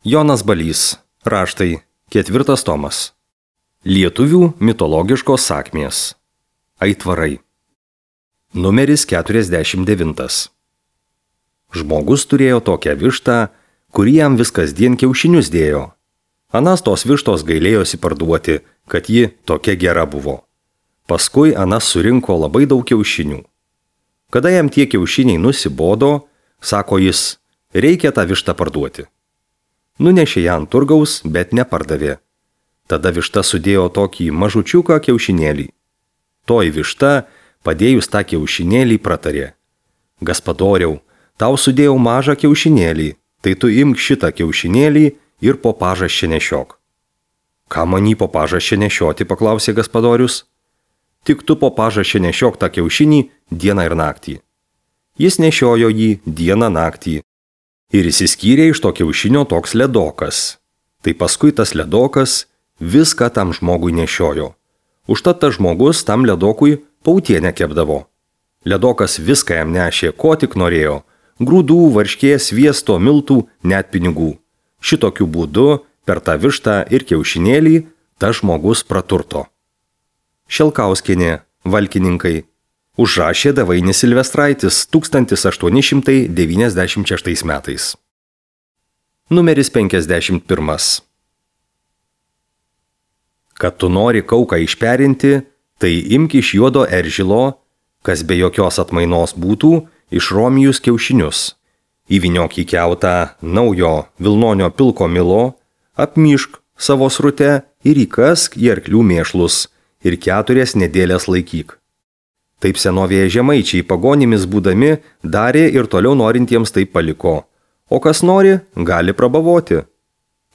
Jonas Balys. Raštai. 4 tomas. Lietuvių mitologiškos sakmės. Aitvarai. Numeris 49. Žmogus turėjo tokią vištą, kuri jam vis kasdien kiaušinius dėjo. Anas tos vištos gailėjosi parduoti, kad ji tokia gera buvo. Paskui Anas surinko labai daug kiaušinių. Kada jam tie kiaušiniai nusibodo, sako jis, reikia tą vištą parduoti. Nunešė ją ant turgaus, bet nepardavė. Tada višta sudėjo tokį mažučiuką kiaušinėlį. Toji višta, padėjus tą kiaušinėlį, pratarė. Gaspadoriau, tau sudėjau mažą kiaušinėlį, tai tu imk šitą kiaušinėlį ir po pažasčią nešiok. Ką man jį po pažasčią nešioti, paklausė gaspadorius. Tik tu po pažasčią nešiok tą kiaušinį dieną ir naktį. Jis nešiojo jį dieną naktį. Ir išsiskyrė iš to kiaušinio toks ledokas. Tai paskui tas ledokas viską tam žmogui nešiojo. Užtat tas žmogus tam ledokui pautienę kepdavo. Ledokas viską jam nešė, ko tik norėjo. Grūdų, varškės, sviesto, miltų, net pinigų. Šitokiu būdu, per tą vištą ir kiaušinėlį, tas žmogus praturto. Šelkauskienė, Valkininkai. Užrašė Davainis Silvestraitis 1896 metais. Numeris 51. Kad tu nori kauką išperinti, tai imk iš juodo eržilo, kas be jokios atmainos būtų, iš romijus kiaušinius. Įvyniok į kiautą naujo vilnonio pilko milo, apmyšk savo srute ir įkask į arklių mėšlus ir 4 nedėlės laikyk. Taip senovėje žemaičiai pagonimis būdami darė ir toliau norintiems taip paliko. O kas nori, gali prabavoti.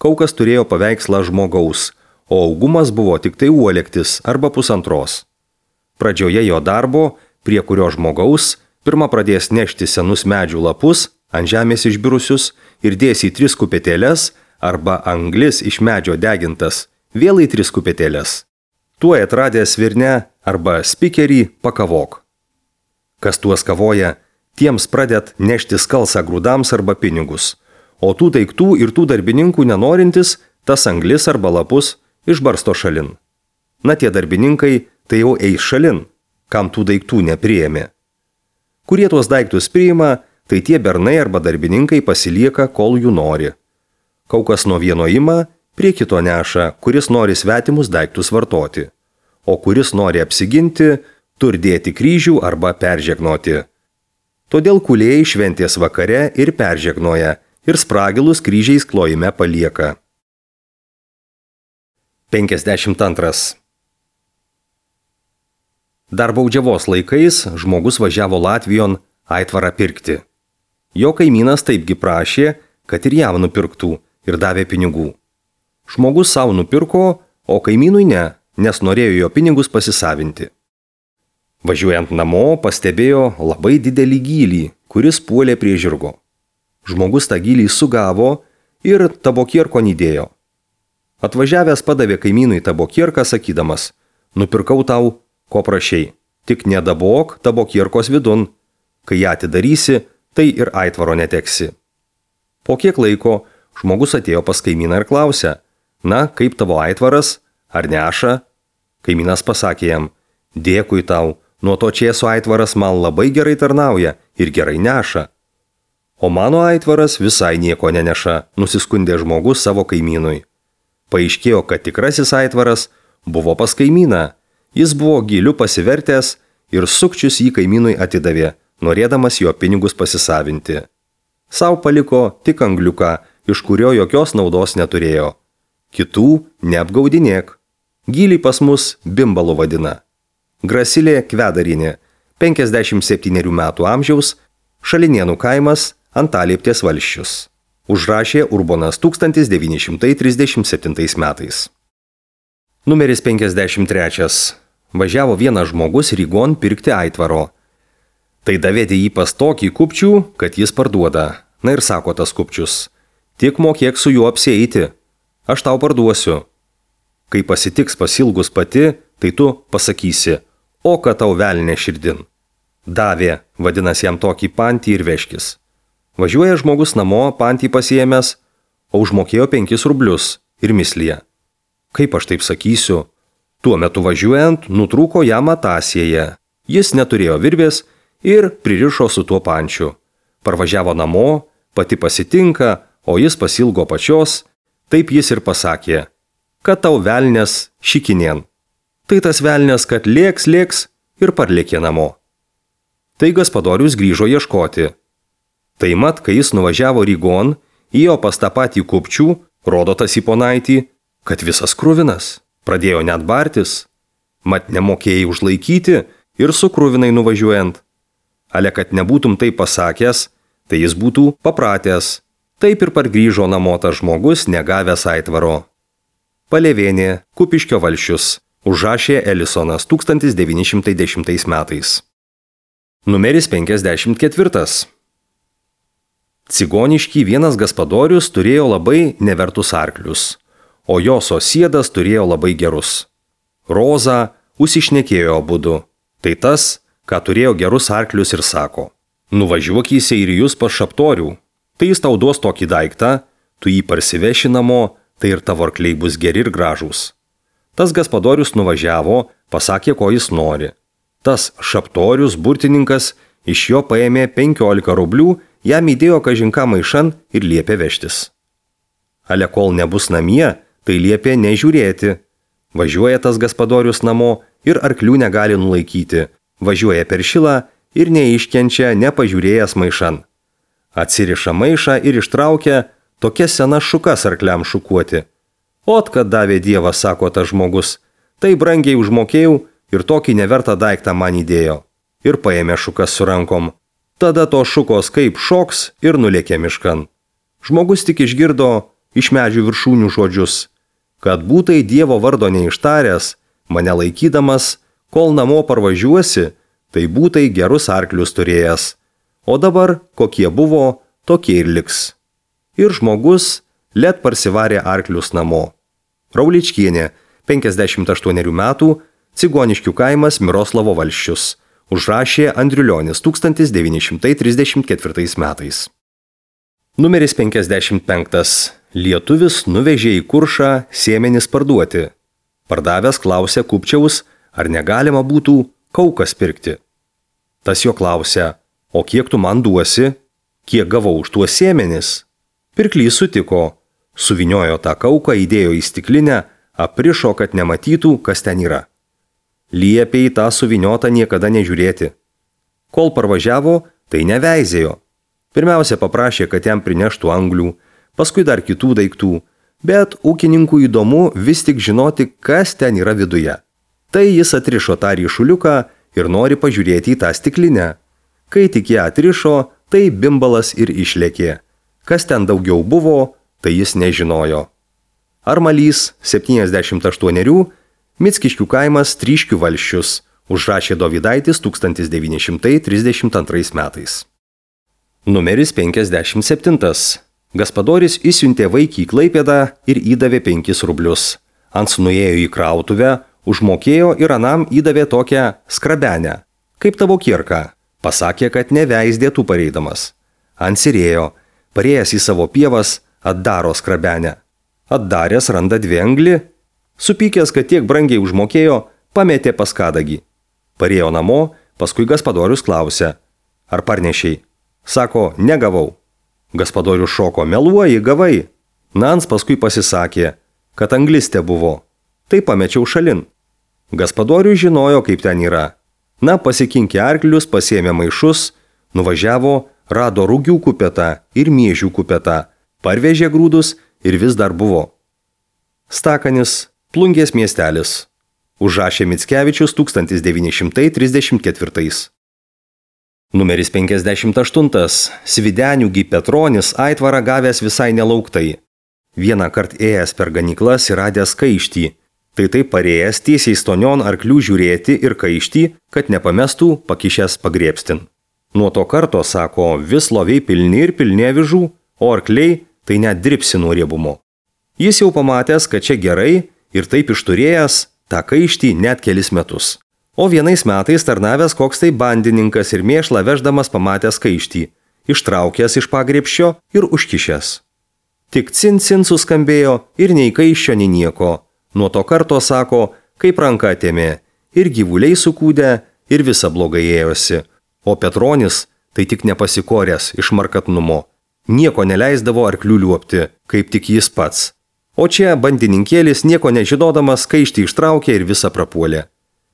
Kaukas turėjo paveikslą žmogaus, o augumas buvo tik tai uolektis arba 1,5. Pradžioje jo darbo, prie kurio žmogaus, pirma pradės nešti senus medžių lapus, ant žemės išbirusius ir dės į 3 kupetėles arba anglis iš medžio degintas, vėl į 3 kupetėles. Tuo atradęs svirnę arba spikerį pakavok. Kas tuos kavoja, tiems pradet nešti skalsą grūdams arba pinigus, o tų daiktų ir tų darbininkų nenorintis, tas anglis arba lapus išbarsto šalin. Na tie darbininkai tai jau eis šalin, kam tų daiktų nepriėmė. Kurie tuos daiktus priima, tai tie bernai arba darbininkai pasilieka, kol jų nori. Kaukas nuo vieno ima, prie kito neša, kuris nori svetimus daiktus vartoti, o kuris nori apsiginti, tur dėti kryžių arba peržegnoti. Todėl kūlėjai šventės vakare ir peržegnoja, ir spragilus kryžiais klojime palieka. 52. Dar baudžiavos laikais žmogus važiavo Latvijon aitvarą pirkti. Jo kaimynas taipgi prašė, kad ir jam nupirktų ir davė pinigų. Žmogus savo nupirko, o kaimynui ne, nes norėjo jo pinigus pasisavinti. Važiuojant namo, pastebėjo labai didelį gylį, kuris puolė prie žirgo. Žmogus tą gylį sugavo ir tabokierko nydėjo. Atvažiavęs padavė kaimynui tabokierką, sakydamas, nupirkau tau, ko prašei, tik nedabok tabokierkos vidun, kai ją atidarysi, tai ir aitvaro neteksi. Po kiek laiko žmogus atėjo pas kaimyną ir klausė, na, kaip tavo aitvaras, ar neša? Kaimynas pasakė jam, dėkui tau, nuo to čėso aitvaras man labai gerai tarnauja ir gerai neša. O mano aitvaras visai nieko neneša, nusiskundė žmogus savo kaimynui. Paaiškėjo, kad tikrasis aitvaras buvo pas kaimyną. Jis buvo gyliu pasivertęs ir sukčius jį kaimynui atidavė, norėdamas jo pinigus pasisavinti. Sau paliko tik angliuką, iš kurio jokios naudos neturėjo. Kitų neapgaudinėk. Gylį pas mus bimbalu vadina. Grasilė Kvedarinė, 57 metų amžiaus, Šalinėnų kaimas, Antalieptės valsčius. Užrašė Urbonas 1937 metais. Numeris 53. Važiavo vienas žmogus Rygon pirkti aitvaro. Tai davėdė jį pas tokį kupčių, kad jis parduoda. Na ir sako tas kupčius, tik mokėk su juo apsieiti, aš tau parduosiu. Kai pasitiks pasilgus pati, tai tu pasakysi, o kad tau velnė širdin. Davė, vadinasi jam tokį pantį ir veškis. Važiuoja žmogus namo, pantį pasiėmęs, o užmokėjo 5 rublius ir mislyje. Kaip aš taip sakysiu? Tuo metu važiuojant nutrūko jam matasėje. Jis neturėjo virvės ir pririšo su tuo pančiu. Parvažiavo namo, pati pasitinka, o jis pasilgo pačios, taip jis ir pasakė, kad tau velnias šikinien. Tai tas velnias, kad lėks ir parlėkė namo. Tai Gaspadorius grįžo ieškoti. Tai mat, kai jis nuvažiavo Rygon, ėjo pas tą patį kupčių, rodo tas į ponaitį, kad visas kruvinas, pradėjo net bartis. Mat nemokėjai užlaikyti ir su kruvinai nuvažiuojant. Ale kad nebūtum tai pasakęs, tai jis būtų papratęs. Taip ir pargrįžo namo tas žmogus, negavęs aitvaro. Palėvėnė, Kupiškio valsčius, užrašė Elisonas 1910 metais. Numeris 54. Cigoniškį vienas Gaspadorius turėjo labai nevertus arklius, o jo sosiedas turėjo labai gerus. Roza užsišnekėjo abudu. Tai tas, ką turėjo gerus arklius ir sako, nuvažiuok į Seirijus pas šaptorių, tai jis tau duos tokį daiktą, tu jį parsiveši namo, tai ir tavo arkliai bus geri ir gražūs. Tas Gaspadorius nuvažiavo, pasakė, ko jis nori. Tas šaptorius, burtininkas, iš jo paėmė 15 rublių, jam įdėjo kažinką maišan ir liepė vežtis. Ale kol nebus namie, tai liepė nežiūrėti. Važiuoja tas Gaspadorius namo ir arklių negali nulaikyti. Važiuoja per šilą ir neiškenčia, nepažiūrėjęs maišan. Atsiriša maišą ir ištraukia tokias senas šukas arkliam šukuoti. Ot, kad davė Dievas, sako tas žmogus, tai brangiai užmokėjau ir tokį nevertą daiktą man įdėjo. Ir paėmė šukas su rankom. Tada to šukos kaip šoks ir nulėkė miškan. Žmogus tik išgirdo iš medžių viršūnių žodžius, kad būtai Dievo vardo neištaręs, mane laikydamas, kol namo parvažiuosi, tai būtai gerus arklius turėjęs. O dabar, kokie buvo, tokie ir liks. Ir žmogus let parsivarė arklius namo. Rauličkienė, 58 metų, Cigoniškių kaimas Miroslavo valsčius, užrašė Andriulionis 1934 metais. Numeris 55. Lietuvis nuvežė į Kuršą sėmenis parduoti. Pardavęs klausė kupčiaus, ar negalima būtų kaukas pirkti. Tas jo klausė, o kiek tu man duosi, kiek gavau už tuos sėmenis? Pirklys sutiko, suviniojo tą kauką, įdėjo į stiklinę, aprišo, kad nematytų, kas ten yra. Liepė į tą suviniotą niekada nežiūrėti. Kol parvažiavo, tai neveizėjo. Pirmiausia paprašė, kad jam prineštų anglių, paskui dar kitų daiktų, bet ūkininkų įdomu vis tik žinoti, kas ten yra viduje. Tai jis atrišo tą ryšuliuką ir nori pažiūrėti į tą stiklinę. Kai tik ją atrišo, tai bimbalas ir išlėkė. Kas ten daugiau buvo, tai jis nežinojo. Armalys, 78, Mickiškių kaimas Tryškių valsčius, užrašė Dovydaitis 1932 metais. Numeris 57. Gaspadoris įsiuntė vaikį į Klaipėdą ir įdavė 5 rublius. Ants nuėjo į krautuvę, užmokėjo ir anam įdavė tokią skrabenę, kaip tavo kirka. Pasakė, kad neveisdėtų pareidamas. Ansirėjo, parėjęs į savo pievas, atdaro skrabenę. Atdaręs randa 2 anglį. Supykęs, kad tiek brangiai užmokėjo, pametė pas kadagį. Parėjo namo, paskui Gaspadorius klausė, ar parnešiai? Sako, negavau. Gaspadorius šoko, meluoji, gavai. Nans paskui pasisakė, kad anglistė buvo. Tai pamečiau šalin. Gaspadorius žinojo, kaip ten yra. Na, pasikinkė arklius, pasėmė maišus, nuvažiavo, rado rūgių kupetą ir miežių kupetą, parvežė grūdus ir vis dar buvo. Stakanis, Plungės miestelis. Užrašė Mickevičius 1934. Numeris 58. Svidenių Petronis aitvarą gavęs visai nelauktai. Vieną kart ėjęs per ganyklas ir radęs kaištį. Tai taip parėjęs tiesiai stonion arklių žiūrėti ir kaištį, kad nepamestų pakišęs pagriebstin. Nuo to karto, sako, vis loviai pilni ir pilni avižų, o arkliai tai net dripsi nuo riebumo. Jis jau pamatęs, kad čia gerai ir taip išturėjęs tą kaištį net kelis metus. O vienais metais tarnavęs koks tai bandininkas ir mėšlą veždamas pamatęs kaištį, ištraukęs iš pagriebščio ir užkišęs. Tik cin suskambėjo ir nei kaiščio, nei nieko. Nuo to karto, sako, kaip ranka atėmė, ir gyvuliai sukūdė, ir visa blogai ėjosi. O Petronis tai tik nepasikoręs iš markatnumo. Nieko neleisdavo arklių liuopti, kaip tik jis pats. O čia bandininkėlis nieko nežinodamas kaištį ištraukė ir visą prapuolė.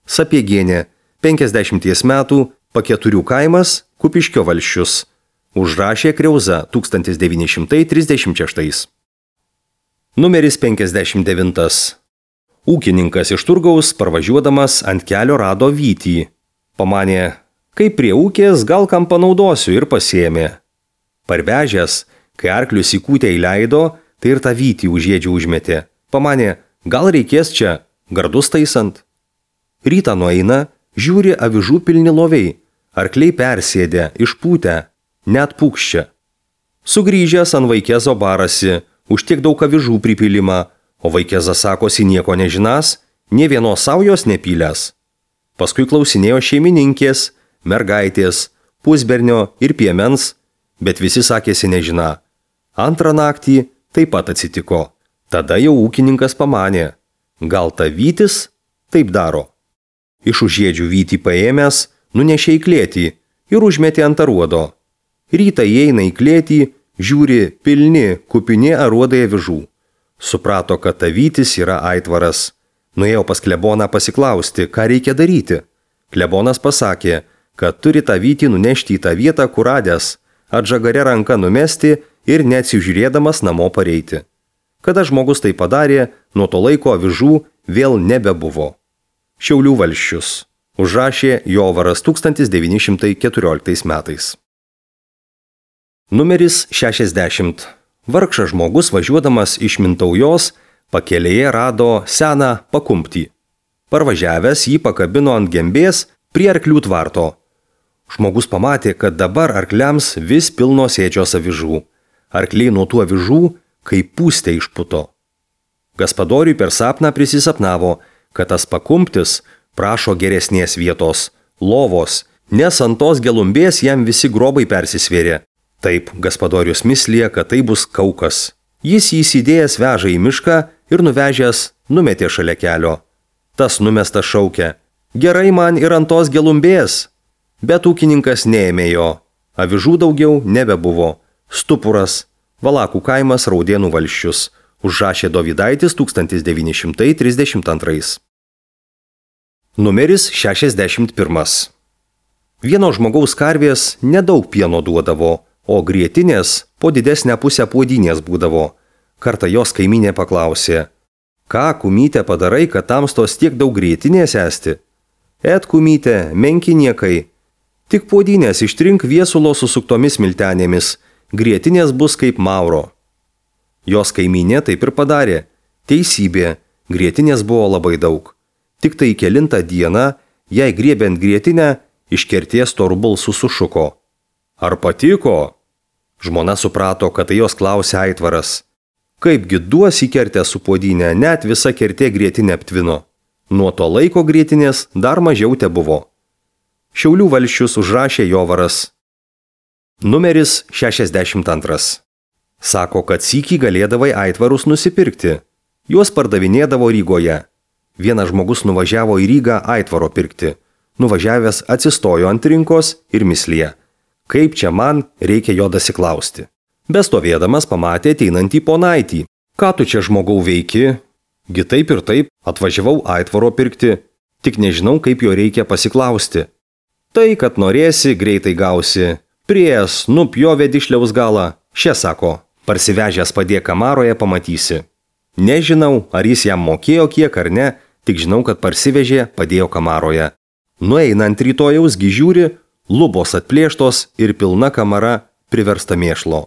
Sapiegienė, 50 metų, Paketurių kaimas, Kupiškio valsčius. Užrašė Kriauza 1936. Numeris 59. Ūkininkas iš turgaus parvažiuodamas ant kelio rado vytį. Pamanė, kaip prie ūkės gal kam panaudosiu ir pasiėmė. Parvežęs, kai arklius į kūtę įleido, tai ir tą vytį už ėdžių užmetė. Pamanė, gal reikės čia, gardus taisant. Rytą nueina, žiūri avižų pilni loviai, arkliai persėdė, išpūtę, net pūkščia. Sugrįžęs ant Vaikėzo barasi, už tiek daug avižų pripilimą, o Vaikėzas sakosi nieko nežinas, nė vienos saujos nepylęs. Paskui klausinėjo šeimininkės, mergaitės, pusbernio ir piemens, bet visi sakėsi nežina. Antrą naktį taip pat atsitiko. Tada jau ūkininkas pamanė, gal ta vytis taip daro. Iš užėdžių vytį paėmęs, nunešė į klėtį ir užmetė ant aruodo. Rytą įeina į klėtį, žiūri pilni, kupini aruodai avižų. Suprato, kad ta vytis yra aitvaras. Nuėjo pas kleboną pasiklausti, ką reikia daryti. Klebonas pasakė, kad turi tą vytį nunešti į tą vietą, kur radęs, atžagare ranką numesti ir neatsižiūrėdamas namo pareiti. Kada žmogus tai padarė, nuo to laiko avižų vėl nebebuvo. Šiaulių valsčius. Užrašė Jovaras 1914 metais. Numeris 60. Vargšas žmogus važiuodamas iš Mintaujos pakelėje rado seną pakumptį. Parvažiavęs jį pakabino ant gembės prie arklių tvarto. Žmogus pamatė, kad dabar arkliams vis pilnos ėdžios avižų. Arkliai nuo tų avižų kaip pūstė išputo. Gaspadoriui per sapną prisisapnavo, kad tas pakumptis prašo geresnės vietos, lovos, nes ant tos gelumbės jam visi grobai persisvėrė. Taip, gaspadorius mislė, kad tai bus kaukas. Jis jį įsidėjęs veža į mišką ir nuvežęs numetė šalia kelio. Tas numestas šaukė, gerai man ir ant tos gelumbės. Bet ūkininkas neėmė jo. Avižų daugiau nebebuvo. Stupuras, Valakų kaimas, Raudėnų valsčius. Užrašė Dovydaitis 1932. Numeris 61. Vieno žmogaus karvės nedaug pieno duodavo, o grietinės po didesnę pusę puodynės būdavo. Kartą jos kaimynė paklausė, ką, kumytė, padarai, kad tamstos tiek daug grietinės esti? Et, kumytė, menki niekai. Tik puodynės ištrink viesulo susuktomis miltenėmis, grietinės bus kaip mauro. Jos kaimynė taip ir padarė. Teisybė, grietinės buvo labai daug. Tik tai kelintą dieną, jai griebiant grietinę, iš kerties toru balsu sušuko. Ar patiko? Žmona suprato, kad tai jos klausė aitvaras. Kaipgi duos įkertę su puodynė, net visa kertė grietinę aptvino. Nuo to laiko grietinės dar mažiau te buvo. Šiaulių valsčius užrašė Jovaras. Numeris 62. Sako, kad sykį galėdavai aitvarus nusipirkti. Juos pardavinėdavo Rygoje. Vienas žmogus nuvažiavo į Rygą aitvaro pirkti. Nuvažiavęs atsistojo ant rinkos ir mislė. Kaip čia man reikia jo dasiklausti. Bestovėdamas pamatė ateinantį ponaitį. Ką tu čia žmogau veiki? Gi taip ir taip atvažiavau aitvaro pirkti. Tik nežinau, kaip jo reikia pasiklausti. Tai, kad norėsi, greitai gausi. Priėjęs, nupjovė dišliaus galą. Šia sako, parsivežęs padėk kamaroje pamatysi. Nežinau, ar jis jam mokėjo kiek ar ne, tik žinau, kad parsivežė, padėjo kamaroje. Nueinant rytojaus gižiūri, lubos atplėštos ir pilna kamara priversta mėšlo.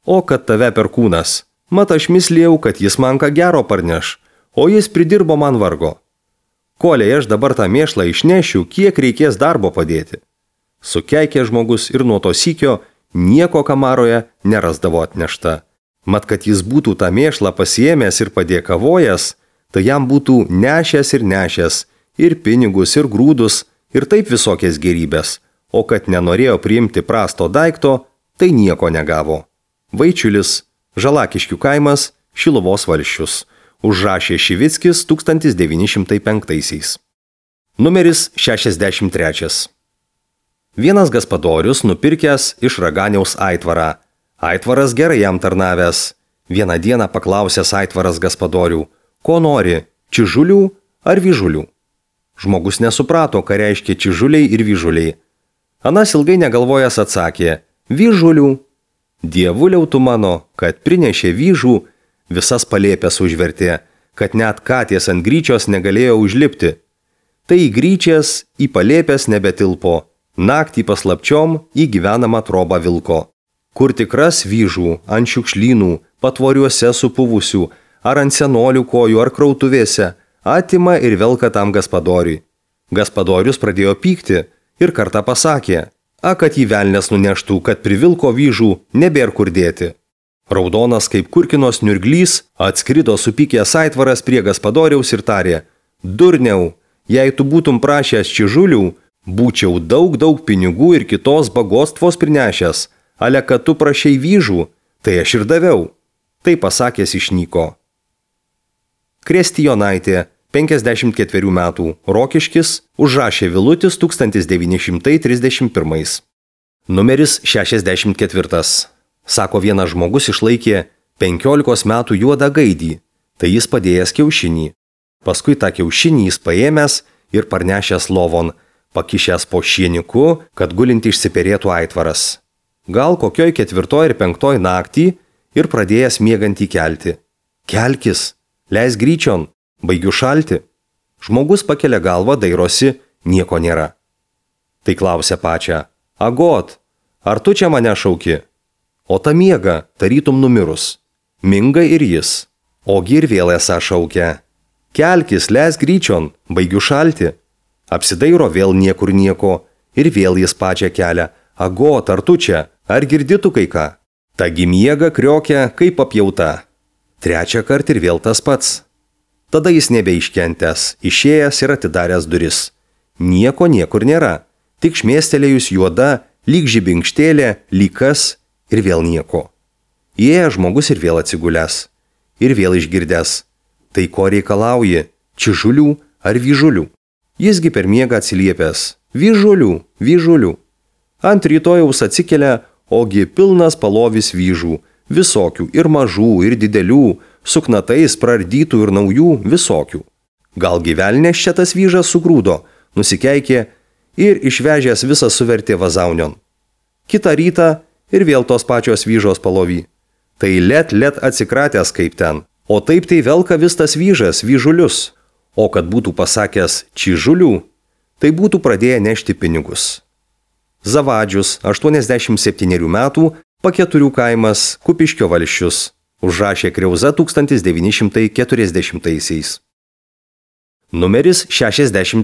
O kad tave perkūnas, mat aš mislėjau, kad jis man ką gero parneš, o jis pridirbo man vargo. Koliai aš dabar tą mėšlą išnešiu, kiek reikės darbo padėti. Sukeikė žmogus ir nuo to sykio nieko kamaroje nerasdavo atnešta. Mat, kad jis būtų tą mėšlą pasiėmęs ir padėkavojęs, tai jam būtų nešęs ir pinigus, ir grūdus, ir taip visokias gerybės, o kad nenorėjo priimti prasto daikto, tai nieko negavo. Vaičiulis Žalakiškių kaimas, Šiluvos valsčius. Užrašė Šivickis 1905. Numeris 63. Vienas gaspadorius nupirkęs iš raganiaus aitvarą. Aitvaras gerai jam tarnavęs. Vieną dieną paklausęs aitvaras gaspadorių, ko nori, čižulių ar vyžulių. Žmogus nesuprato, ką reiškia čižuliai ir vyžuliai. Anas ilgai negalvojęs atsakė, vyžulių. Dievuliau tu mano, kad prinešė vyžų, visas palėpės užvertė, kad net katės ant gryčios negalėjo užlipti. Tai į gryčias, į palėpės nebetilpo, naktį paslapčiom į gyvenamą trobą vilko. Kur tikras vyžų, ant šiukšlynų, patvoriuose supuvusių, ar ant senolių kojų, ar krautuvėse, atima ir velka tam gaspadoriui. Gaspadorius pradėjo pykti ir kartą pasakė, kad jį velnias nuneštų, kad privilko vyžų, nebėr kur dėti. Raudonas kaip kurkinos niurglys atskrido supykęs aitvaras prie gaspadoriaus ir tarė, durniau, jei tu būtum prašęs čižulių, būčiau daug pinigų ir kitos bagostvos prinešęs, ale kad tu prašei vyžų, tai aš ir daviau. Tai pasakęs išnyko. Kristijonaitė, 54 metų, Rokiškis, užrašė Vilutis 1931. Numeris 64. Sako, vienas žmogus išlaikė 15 metų juodą gaidį, tai jis padėjęs kiaušinį. Paskui tą kiaušinį jis paėmęs ir parnešęs lovon, pakišęs po šieniku, kad gulinti išsiperėtų aitvaras. Gal kokioj 4 ir 5 naktį ir pradėjęs miegantį kelti. Kelkis, leis gryčion, baigiu šalti. Žmogus pakelia galvą, dairosi, nieko nėra. Tai klausia pačią, agot, ar tu čia mane šauki? O ta miega, tarytum numirus. Minga ir jis. Ogi ir vėl esą šaukia. Kelkis, leis gryčion, baigiu šalti. Apsidairo vėl niekur nieko ir vėl jis pačią kelia. Agot, ar tu čia, ar girdi tu kai ką? Tagi miega kriokia kaip apjauta. Trečią kartą ir vėl tas pats. Tada jis nebeiškentęs, išėjęs ir atidaręs duris. Nieko niekur nėra, tik šmėstelėjus juoda, lyg žibinkštėlė, lyg kas ir vėl nieko. Įėjo žmogus ir vėl atsigulęs. Ir vėl išgirdęs. Tai ko reikalauji, čižulių ar vyžulių? Jisgi per miegą atsiliepęs. Vyžulių, vyžulių. Ant rytojaus atsikelia, ogi pilnas palovis vyžų. Visokių, ir mažų, ir didelių, su knatais praardytų ir naujų, visokių. Gal gyvelnės čia tas vyžas sugrūdo, nusikeikė ir išvežęs visą suvertė vazaunion. Kitą rytą ir vėl tos pačios vyžos palovy. Tai let atsikratęs kaip ten, o taip tai velka vis tas vyžas, vyžulius. O kad būtų pasakęs čižulių, tai būtų pradėję nešti pinigus. Zavadžius, 87 metų, Paketurių kaimas, Kupiškio valsčius, užrašė Kriauza 1940. Numeris 65.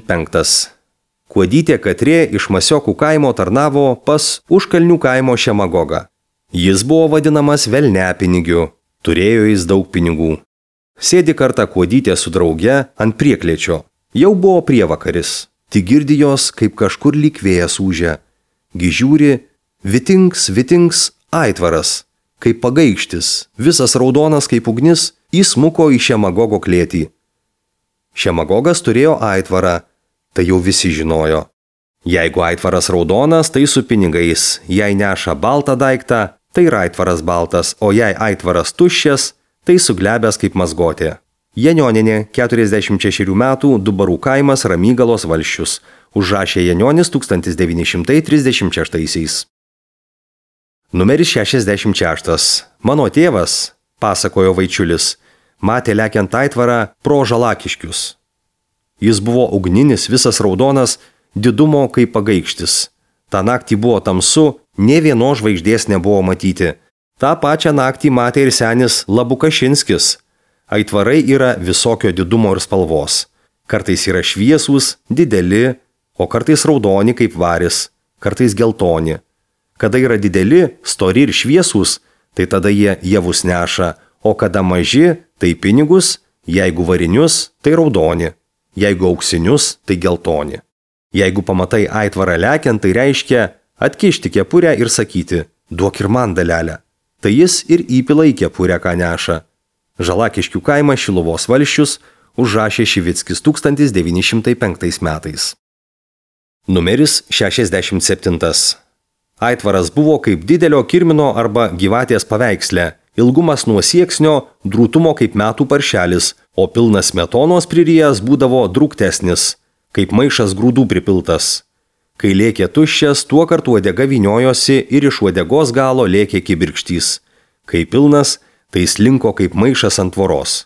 Kuodytė Katrė iš Masiokų kaimo tarnavo pas Užkalnių kaimo šemagogą. Jis buvo vadinamas velniapinigiu, turėjo jis daug pinigų. Sėdi kartą Kuodytė su drauge ant prieklėčio. Jau buvo prievakaris, tik girdi jos, kaip kažkur lyg vėjas ūžia. Gižiūri, vitings, aitvaras, kaip pagaikštis, visas raudonas kaip ugnis, įsmuko į šemagogo klėtį. Šemagogas turėjo aitvarą, tai jau visi žinojo. Jeigu aitvaras raudonas, tai su pinigais, jei neša baltą daiktą, tai ir aitvaras baltas, o jei aitvaras tuščias, tai suglebęs kaip mazgotė. Janioninė, 46 metų, Dubarų kaimas, Ramygalos valsčius, užrašė Janionis 1936. Numeris 66. Mano tėvas, pasakojo Vaičiulis, matė lekiant aitvarą pro Žalakiškius. Jis buvo ugninis, visas raudonas, didumo kaip pagaikštis. Ta naktį buvo tamsu, nė vienos žvaigždės nebuvo matyti. Ta pačią naktį matė ir senis Labukašinskis. Aitvarai yra visokio didumo ir spalvos. Kartais yra šviesūs, dideli, o kartais raudoni kaip varis, kartais geltoni. Kada yra dideli, stori ir šviesūs, tai tada jie javus neša, o kada maži, tai pinigus, jeigu varinius, tai raudoni, jeigu auksinius, tai geltoni. Jeigu pamatai aitvarą lekiant, tai reiškia atkišti kepurę ir sakyti, duok ir man dalelę. tai jis ir įpila į kepurę, ką neša. Žalakiškių kaimą Šiluvos valsčius užrašė Šivickis 1905 metais. Numeris 67. Aitvaras buvo kaip didelio kirmino arba gyvatės paveiksle, ilgumas nuo sieksnio, drūtumo kaip metų paršelis, o pilnas smetonos pririjęs būdavo drūktesnis, kaip maišas grūdų pripiltas. Kai lėkė tuščias, tuo kartu uodega vyniojosi ir iš uodegos galo lėkė kibirkštys. Kai pilnas, tai slinko kaip maišas ant tvoros.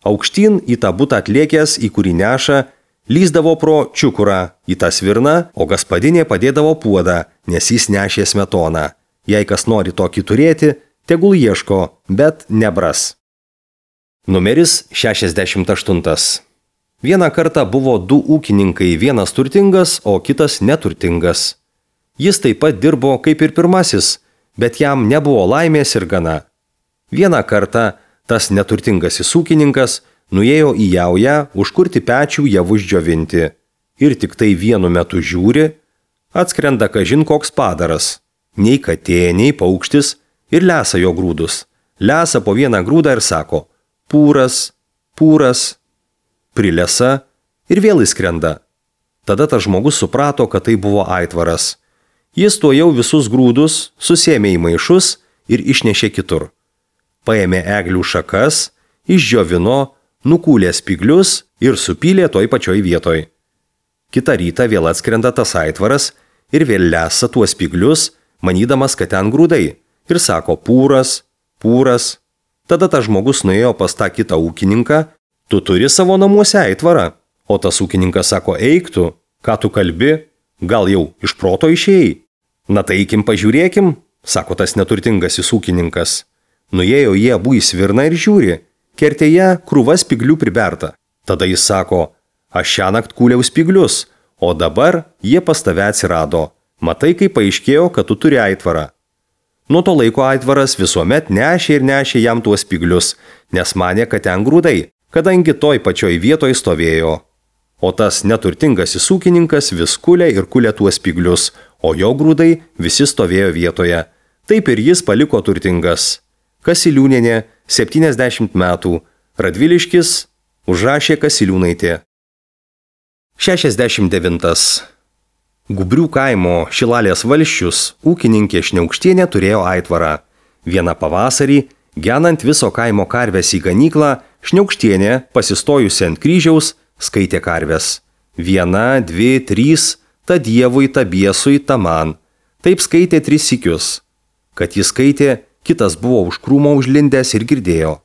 Aukštyn į tą butą atlėkęs, į kurį neša, lyzdavo pro čiukurą į tą svirną, o gaspadinė padėdavo puodą, nes jis nešė smetoną. Jei kas nori tokį turėti, tegul ieško, bet nebras. Numeris 68. Vieną kartą buvo du ūkininkai, vienas turtingas, o kitas neturtingas. Jis taip pat dirbo kaip ir pirmasis, bet jam nebuvo laimės ir gana. Vieną kartą tas neturtingasis ūkininkas nuėjo į jaują užkurti pečių javus džiovinti. Ir tik tai vienu metu žiūri, atskrenda kažin koks padaras. Nei katė, nei paukštis ir lesa jo grūdus. Lesa po vieną grūdą ir sako: pūras, pūras. Prilesa ir vėl įskrenda. Tada tas žmogus suprato, kad tai buvo Aitvaras. Jis tuojau visus grūdus susėmė į maišus ir išnešė kitur. Paėmė eglių šakas, išdžiovino, nukūlė spyglius ir supylė toj pačioj vietoj. Kitą rytą vėl atskrenda tas Aitvaras ir vėl lesa tuos spyglius, manydamas, kad ten grūdai, ir sako: pūras, pūras. Tada tas žmogus nuėjo pas tą kitą ūkininką: tu turi savo namuose aitvarą. O tas ūkininkas sako: eik tu, ką tu kalbi, gal jau iš proto išėjai. Na tai eikim pažiūrėkim, sako tas neturtingasis ūkininkas. Nuėjo jie abu į svirną ir žiūri, kertėje krūva spyglių priberta. Tada jis sako: aš šiąnakt kūliau spyglius, o dabar jie pas tave atsirado. Matai, kaip paaiškėjo, kad tu turi aitvarą. Nuo to laiko Aitvaras visuomet nešė ir nešė jam tuos spyglius, nes manė, kad ten grūdai, kadangi toj pačioj vietoj stovėjo. O tas neturtingasis ūkininkas vis kulė ir kulė tuos spyglius, o jo grūdai visi stovėjo vietoje. Taip ir jis paliko turtingas. Kasiliūnienė, 70 metų, Radviliškis, užrašė Kasiliūnaitė. 69. Gubrių kaimo Šilalės valsčius ūkininkė Šniaukštienė turėjo aitvarą. Vieną pavasarį, genant viso kaimo karves į ganyklą, Šniaukštienė, pasistojusi ant kryžiaus, skaitė karves. 1, 2, 3, ta Dievui, ta Biesui, ta man. Taip skaitė 3 sykius. Kad jis skaitė, kitas buvo už krūmo užlindęs ir girdėjo.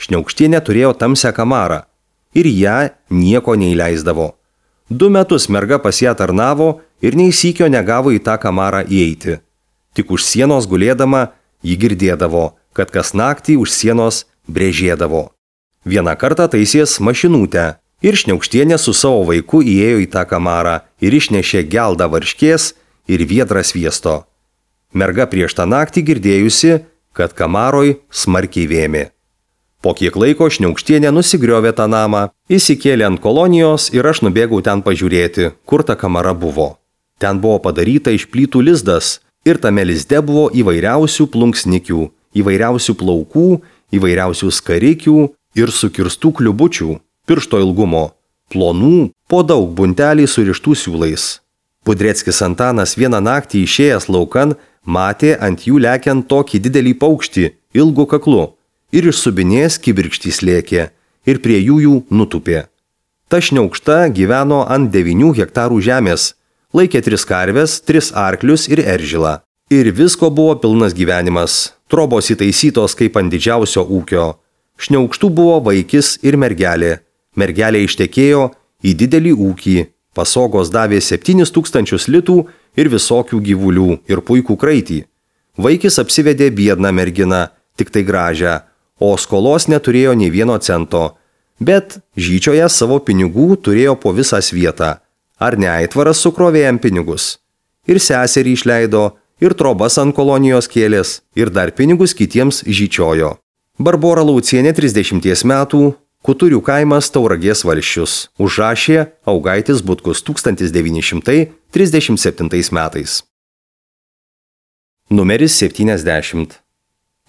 Šniaukštienė turėjo tamsią kamarą ir ją nieko neįleisdavo. 2 metus merga pas ją tarnavo ir nei sykio negavo į tą kamarą įeiti. Tik už sienos gulėdama ji girdėdavo, kad kas naktį už sienos brėžėdavo. Vieną kartą taisės mašinutę ir Šniaukštienė su savo vaiku įėjo į tą kamarą ir išnešė geldą varškės ir viedrą sviesto. Merga prieš tą naktį girdėjusi, kad kamaroj smarkiai vėmė. Po kiek laiko Šniaukštienė nusigriovė tą namą, įsikėlė ant kolonijos ir aš nubėgau ten pažiūrėti, kur ta kamara buvo. Ten buvo padaryta iš plytų lizdas ir tame lizde buvo įvairiausių plunksnikių, įvairiausių plaukų, įvairiausių skarikių ir sukirstų kliubučių, piršto ilgumo, plonų, po daug buntelį surištų siūlais. Pudreckis Antanas vieną naktį išėjęs laukan matė ant jų lekiant tokį didelį paukštį, ilgu kaklu, ir iš subinės kibirkštys lėkė, ir prie jų nutupė. Ta Šniaukšta gyveno ant 9 hektarų žemės, laikė 3 karves, 3 arklius ir eržilą. Ir visko buvo pilnas gyvenimas, trobos įtaisytos kaip ant didžiausio ūkio. Šniaukštų buvo vaikis ir mergelė. Mergelė ištekėjo į didelį ūkį, pasogos davė 7000 litų ir visokių gyvulių ir puikų kraitį. Vaikis apsivedė biedną merginą, tik tai gražią, o skolos neturėjo nei 1 cento, bet žyčioje savo pinigų turėjo po visą svietą. Ar ne Aitvaras sukrovė jam pinigus? Ir seserį išleido, ir trobas ant kolonijos kėlės, ir dar pinigus kitiems žyčiojo. Barbora Laucienė, 30 metų, Kuturių kaimas, Tauragės valsčius, užrašė Augaitis Butkus 1937 metais. Numeris 70.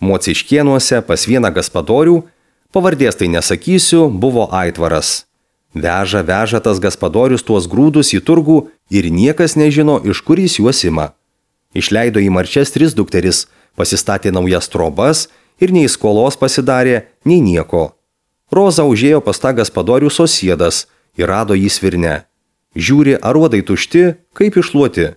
Mociškėnuose pas vieną gaspadorių, pavardės tai nesakysiu, buvo aitvaras. Veža tas gaspadorius tuos grūdus į turgų ir niekas nežino, iš kur jis juos ima. Išleido į marčias 3 dukteris, pasistatė naujas trobas ir nei skolos pasidarė, nei nieko. Roza užėjo pas tą gaspadorių Sosiedas ir rado jį svirne. Žiūri, aruodai tušti, kaip iššluoti.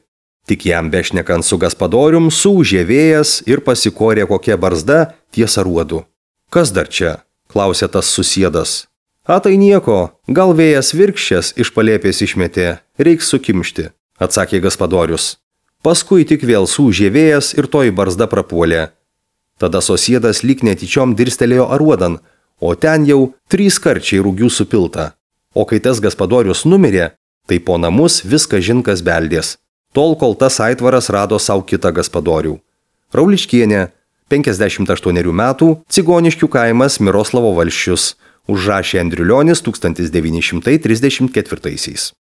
Tik jam bešnekant su gaspadorium suūžė vėjas ir pasikorė kokia barzda ties aruodu. Kas dar čia? Klausė tas Susiedas. A tai nieko, gal vėjas virkščias iš palėpės išmetė, reiks sukimšti, atsakė gaspadorius. Paskui tik vėl suūžė vėjas ir toji barzda prapuolė. Tada Sosiedas lyg netyčiom dirstelėjo aruodan, o ten jau 3 karčiai rūgių supilta. O kai tas gaspadorius numirė, tai po namus viską žinkas beldės. Tol, kol tas aitvaras rado savo kitą gaspadorių. Rauličkienė, 58 metų, Cigoniškių kaimas Miroslavo valsčius, užrašė Andriulionis 1934.